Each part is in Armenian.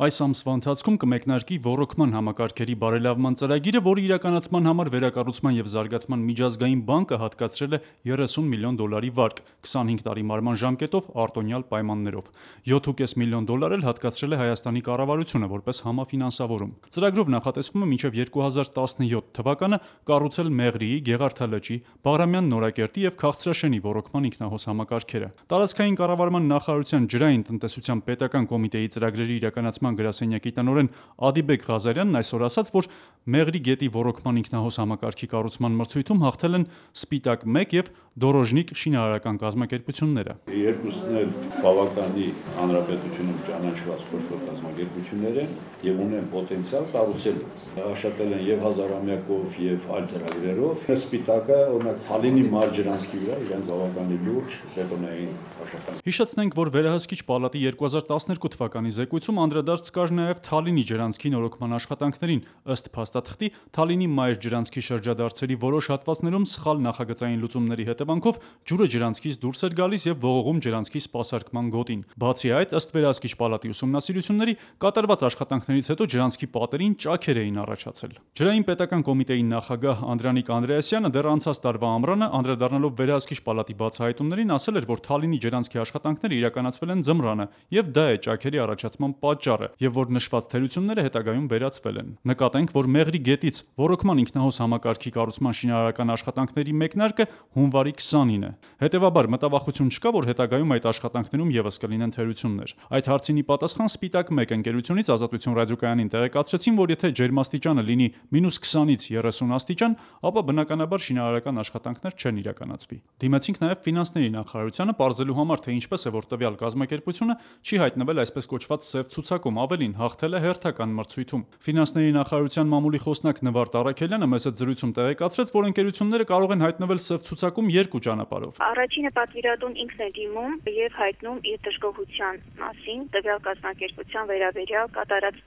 Այս ամսվա ընթացքում կմեկնարկի ոռոգման համակարգերի բարելավման ծրագիրը, որի իրականացման համար Վերակառուցման և զարգացման միջազգային բանկը հատկացրել է 30 միլիոն դոլարի վարկ՝ 25 տարի մարման ժամկետով արտոնյալ պայմաններով։ 7,5 միլիոն դոլար էլ հատկացրել է Հայաստանի կառավարությունը որպես համաֆինանսավորում։ Ծրագրով նախատեսվում է մինչև 2017 թվականը կառուցել Մեղրիի, Գեղարդալճի, Բաղրամյան Նորակերտի և Քաղցրաշենի ոռոգման ինքնահոս համակարգերը։ Տարածքային կառավարման նախարարության ջրային տնտեսության պետական կոմիտեի ծրագրերի իրականացման գրասենյակի տնօրեն Ադիբեկ Ղազարյանն այսօր ասաց, որ Մեղրի գետի ոռոգման ինքնահոս համակարգի կառուցման մրցույթում հաղթել են Սպիտակ 1 և Դորոժնիկ շինարարական կազմակերպությունները։ Երկուսն էլ բավականի հանրապետությունում ճանաչված խոշոր կազմակերպություններ են եւ ունեն պոտենցիալ կառուցելու։ Աշխատել են եւ հազարամյակով եւ այլ ծրագրերով։ Սպիտակը օրինակ Թալինի մարջրանցքի վրա իրեն բավականի լուրջ բետոնային աշխատանք։ Հիշեցնենք, որ Վերահսկիչ պալատի 2012 թվականի զեկույցում անդրադարձ կար նաև Թալինի ջրանցքի նորոգման աշխատանքներին։ Ըստ փաստաթղթի, Թալինի մայր ջրանցքի շրջադարձերի որոշ հատվածներում սխալ նախագծային լուծումների հետևանքով ջուրը ջրանցքից դուրս էր գալիս եւ ողողում ջրանցքի սպասարկման գոտին։ Բացի այդ, ըստ Վերահսկիչ պալատի ուսումնասիրությունների, կատարված աշխատանքներից հետո ջրանցքի պատերին ճաքեր էին առաջացել։ Ջրային պետական կոմիտեի նախագահ Անդրանիկ Անդրեասյանը դեռ անցած տարվա ամռանը անդրադառնալով Վերահսկիչ պալատի բացահայտումներին ասել էր, որ Թալինի ջրանցքի աշխատանքները իրականացվել են ձմռանը եւ դա է ճաքերի առաջացման պատճառը, եւ որ նշված թերությունները հետագայում վերացվել են։ Նկատենք, որ Մեղրի գետից ոռոգման ինքնահոս համակարգի կառուցման շինարարական աշխատանքների մեկնարկը հունվարի 20-ին է։ Հետևաբար մտավախություն չկա, որ հետագայում այդ աշխատանքներում եւս կլինեն թերություններ։ Այդ հարցին ի պատասխան Սպիտակ 1 ընկերությունից Ազատություն ռադիոկայանին տեղեկացրեցին, որ եթե ջերմաստիճանը լինի -20-ից 30 աստիճան, ապա բնականաբար շինարարական աշխատանքներ չեն իրականացվի։ Դիմեցինք նաեւ ֆինանսների նախարարությանը պարզելու համար, թե ինչպես է, որ տվյալ կազմակերպությունը չի հայտնվել այսպես կոչված սև ցուցակում, ավելին հաղթել է հերթական մրցույթում։ Ֆինանսների նախարարության մամուլի խոսնակ Նվարդ Առաքելյանը մեծ զրույցում տեղեկացրեց, որ ընկերությունները կարող են հայտնվել սև ցուցակում երկու ճանապարհով։ Առաջինը պատվիրատուն ինքն է դիմում եւ հայտնում իր դժգոհության մասին տվյալ կազմակերպության վերաբերյալ կատարած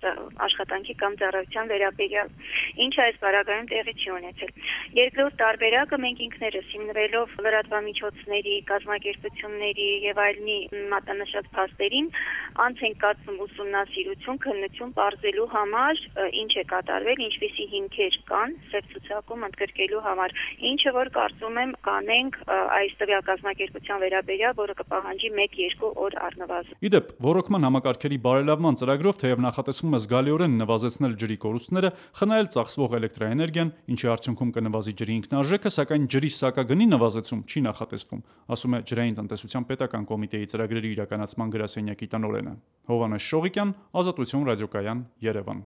աշխատանքի կամ ծառայության վերաբերյալ, ինչը այս պարագայում տեղի չի ունեցել։ Երկրորդ տարբերակը մենք ինքներս հիմնվելով լրատվամիջոցների, կազմակերպությունների եւ այլնի մատնանշած փաստերին անց ենք կացնում ուսումնասիրություն, քննություն պարզելու համար ինչ է կատարվել, ինչպիսի հիմքեր կան սև ցուցակում ընդգրկելու համար, ինչը որ կարծում եմ կանենք այս տվյալ կազմակերպության վերաբերյալ, որը կպահանջի 1-2 օր առնվազն։ Իդեպ, ոռոգման համակարգերի բարելավման ծրագրով թեև նախատեսվում է զգալիորեն նվազեցնել ջրի կորուստները, խնայել ծախսվող էլեկտրաէներգիան, ինչի արդյունքում կնվազի ջրի ինքնարժեքը, սակայն ջրի սակագնի նվազեցում չի նախատեսվում, ասում է Ջրային տնտեսության պետական կոմիտեի ծրագրերի իրականացման գրասենյակի տնօրենը։ Հովհաննես Շողիկյան, Ազատություն ռադիոկայան, Երևան։